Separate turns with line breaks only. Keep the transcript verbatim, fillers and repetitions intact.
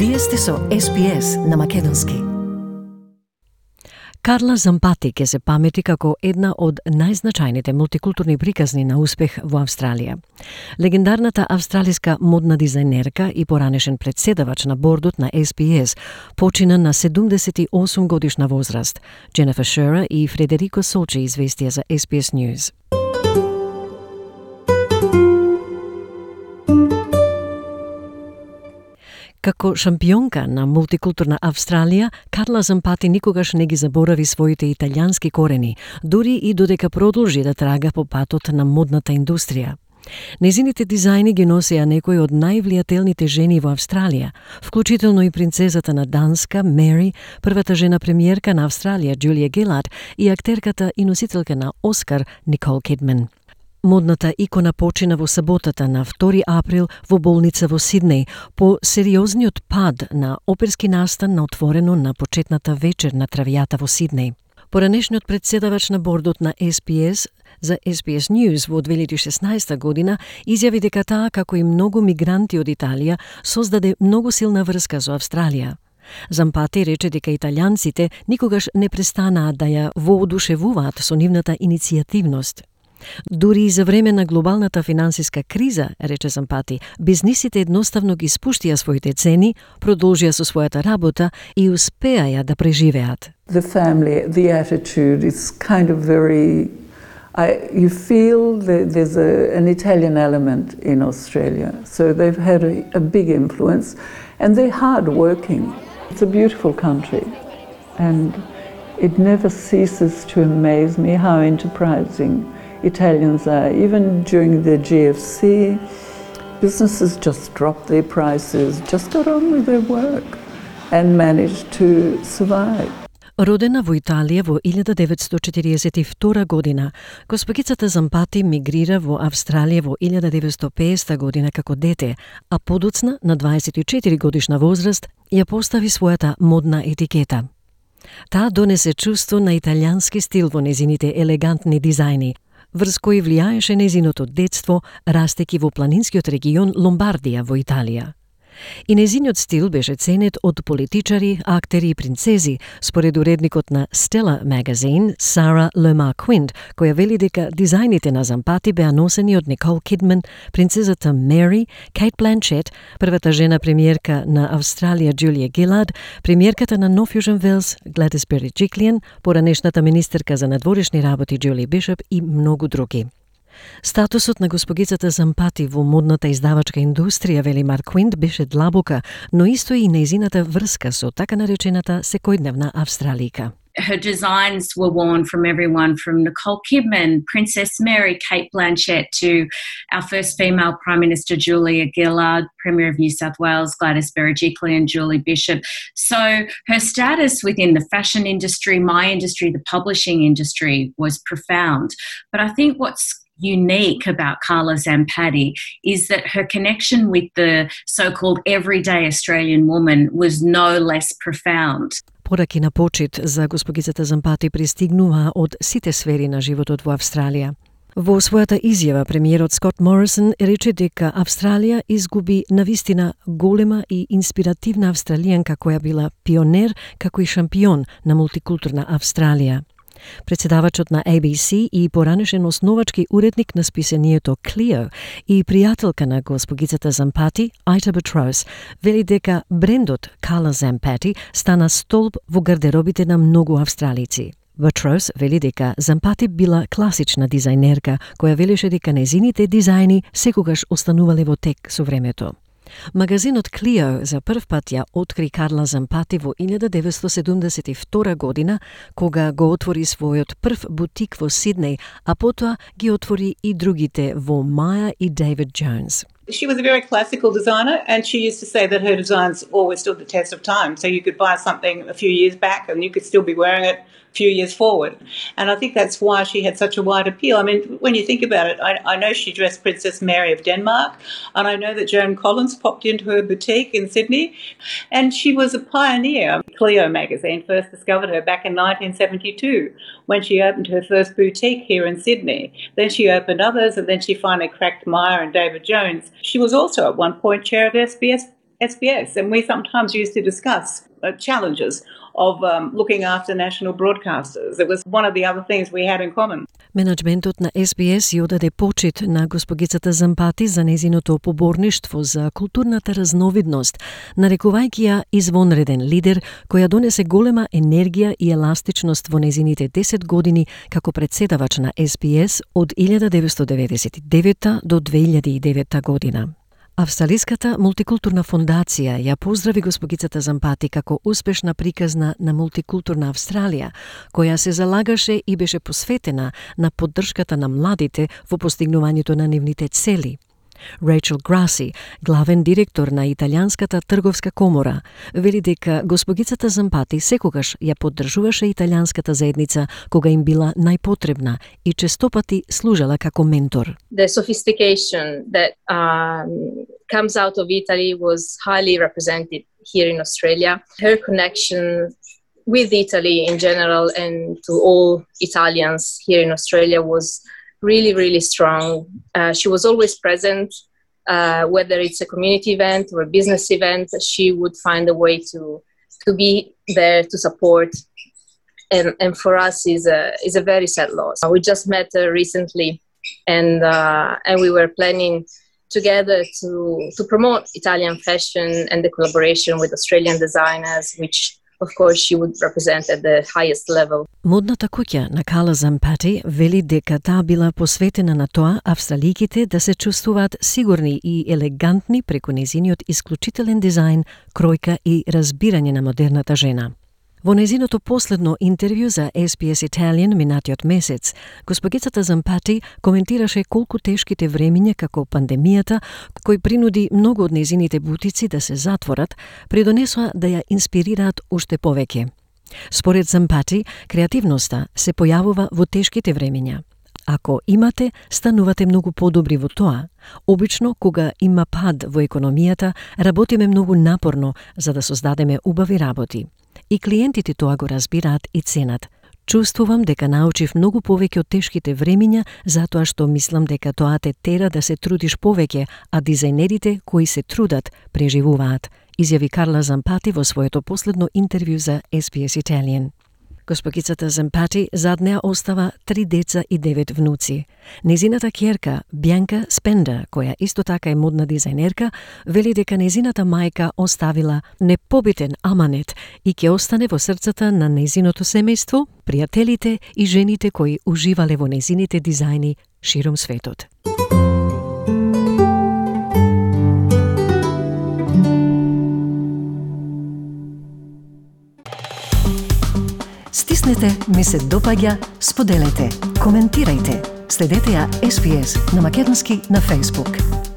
Вие сте со Ес Би Ес на македонски. Карла Зампати ке се памети како една од најзначајните мултикултурни приказни на успех во Австралија. Легендарната австралиска модна дизајнерка и поранешен претседавач на бордот на Ес Би Ес почина на седумдесет и осум годишна возраст. Дженефер Шера и Фредерико Солчи известија за Ес Би Ес News. Како шампионка на мултикултурна Австралија, Карла Зампати никогаш не ги заборави своите италијански корени, дури и додека продолжи да трага по патот на модната индустрија. Незините дизајни ги носеа некои од највлијателните жени во Австралија, вклучително и принцезата на Данска, Мери, првата жена премиерка на Австралија, Джулија Гилард, и актерката и носителка на Оскар, Никол Кидман. Модната икона почина во саботата на втори април во болница во Сиднеј по сериозниот пад на оперски настан на отворено на почетната вечер на травијата во Сиднеј. Поранешниот претседавач на бордот на Ес Би Ес за Ес Би Ес News во две илјади и шеснаеста година изјави дека таа, како и многу мигранти од Италија, создаде многу силна врска со Австралија. Зампати рече дека италијанците никогаш не престанаа да ја воодушевуваат со нивната иницијативност. Дури и за време на глобалната финансиска криза, рече Зампати, бизнисите едноставно ги спуштија своите цени, продолжија со својата работа и успеаја да преживеат.
The family, the attitude is kind of very I, you feel that there's a, an Italian element in Australia, so they've had a, a big influence, and they're hard working. It's a beautiful country, and it never ceases to amaze me how enterprising Italians are. Even during the G F C, businesses just dropped their prices, just got on with their work and managed to survive.
Родена во Италија во илјада деветстотини четириесет и втора година, госпогицата Зампати мигрира во Австралија во илјада деветстотини и педесета година како дете, а подоцна на дваесет и четири годишна возраст ја постави својата модна етикета. Таа донесе чувство на италијански стил во незините елегантни дизајни, врз кои влијаеше незиното детство, растејќи во планинскиот регион Ломбардија во Италија. И незиниот стил беше ценет од политичари, актери и принцези, според уредникот на Stella Magazine, Сара Лема Квинт, која вели дека дизајните на Зампати беа носени од Никол Кидман, принцезата Мери, Кейт Бланчет, првата жена премиерка на Австралија Джулија Гилард, премиерката на Нов Јужен Велс Гледис Береджиклиан, поранешната министерка за надворешни работи Џули Бишоп и многу други. Статусот на госпогицата Зампати во модната издавачка индустрија, вели Марк Квинт, беше длабока, но исто и нејзината врска со така наречената секојдневна австралика.
Her designs were worn from everyone from Nicole Kidman, Princess Mary, Kate Blanchett, to our first female Prime Minister Julia Gillard, Premier of New South Wales Gladys Berejiklian, Julie Bishop. So her status within the fashion industry, my industry, the publishing industry was profound. But I think what's unique about Carla Zampati is that her connection with the so-called everyday Australian woman was no less profound.
Пораки на почит за госпогицата Зампати пристигнуваа од сите сфери на животот во Австралија. Во својата изјава, премиерот Скот Морисон рече дека Австралија изгуби навистина голема и инспиративна австралијанка која била пионер како и шампион на мултикултурна Австралија. Председавачот на А Б С и поранешен основачки уредник на списанието Клио и пријателка на госпогицата Зампати, Ајта Батрос, вели дека брендот Карла Зампати стана столб во гардеробите на многу австралици. Батрос вели дека Зампати била класична дизајнерка која велеше дека незините дизајни секогаш останувале во тек со времето. Магазинот Клио за прв пат ја откри Карла Зампати во илјада деветстотини седумдесет и втора година, кога го отвори својот прв бутик во Сиднеј, а потоа ги отвори и другите во Маја и Дейвид Джонс.
She was a very classical designer, and she used to say that her designs always stood the test of time. So you could buy something a few years back and you could still be wearing it a few years forward. And I think that's why she had such a wide appeal. I mean, when you think about it, I, I know she dressed Princess Mary of Denmark, and I know that Joan Collins popped into her boutique in Sydney, and she was a pioneer. Clio magazine first discovered her back in nineteen seventy-two when she opened her first boutique here in Sydney. Then she opened others, and then she finally cracked Myer and David Jones. She was also at one point chair of S B S S B S, and we sometimes used to discuss uh, challenges of um, looking after national broadcasters. It was one of the other things we had in common.
Менеджментот на С Б С ја одаде почит на госпогицата Зампати за незиното поборништво за културната разновидност, нарекувајќи ја извонреден лидер која донесе голема енергија и еластичност во незините десет години како председавач на С Б С од илјада деветстотини деветдесет и девета до две илјади и девета година. Австралиската мултикултурна фондација ја поздрави госпогицата Зампати како успешна приказна на мултикултурна Австралија, која се залагаше и беше посветена на поддршката на младите во постигнувањето на нивните цели. Рейчел Граси, главен директор на Италијанската трговска комора, вели дека госпогицата Зампати секогаш ја поддржуваше италијанската заедница кога им била најпотребна и честопати служела како ментор.
The sophistication that um, comes out of Italy was highly represented here in Australia. Her connection with Italy in general and to all Italians here in Australia was really, really strong. Uh, she was always present, uh, whether it's a community event or a business event, she would find a way to to be there to support. And, and for us is a is a very sad loss. We just met her recently, and uh, and we were planning together to to promote Italian fashion and the collaboration with Australian designers, which of course she would represent at the highest level.
Модната куќа на Кала Зампати вели дека таа била посветена на тоа австраликите да се чувствуваат сигурни и елегантни преку незиниот исклучителен дизајн, кројка и разбирање на модерната жена. Во незиното последно интервју за С Б С Italian минатиот месец, госпогицата Зампати коментираше колку тешките времиња како пандемијата, кој принуди многу од незините бутици да се затворат, придонесоа да ја инспирираат уште повеќе. Според Зампати, креативноста се појавува во тешките времиња. Ако имате, станувате многу подобри во тоа. Обично, кога има пад во економијата, работиме многу напорно за да создадеме убави работи. И клиентите тоа го разбираат и ценат. Чувствувам дека научив многу повеќе од тешките времиња, затоа што мислам дека тоа те тера да се трудиш повеќе, а дизајнерите кои се трудат, преживуваат, изјави Карла Зампати во своето последно интервју за С Б С Italian. Госпогицата Зампати зад неа остава три деца и девет внуци. Незината ќерка, Бјанка Спенда, која исто така е модна дизајнерка, вели дека незината мајка оставила непобитен аманет и ќе остане во срцата на незиното семејство, пријателите и жените кои уживале во незините дизајни широм светот. Стиснете, ми се допаѓа, споделете, коментирајте. Следете ја С Б С на македонски на Facebook.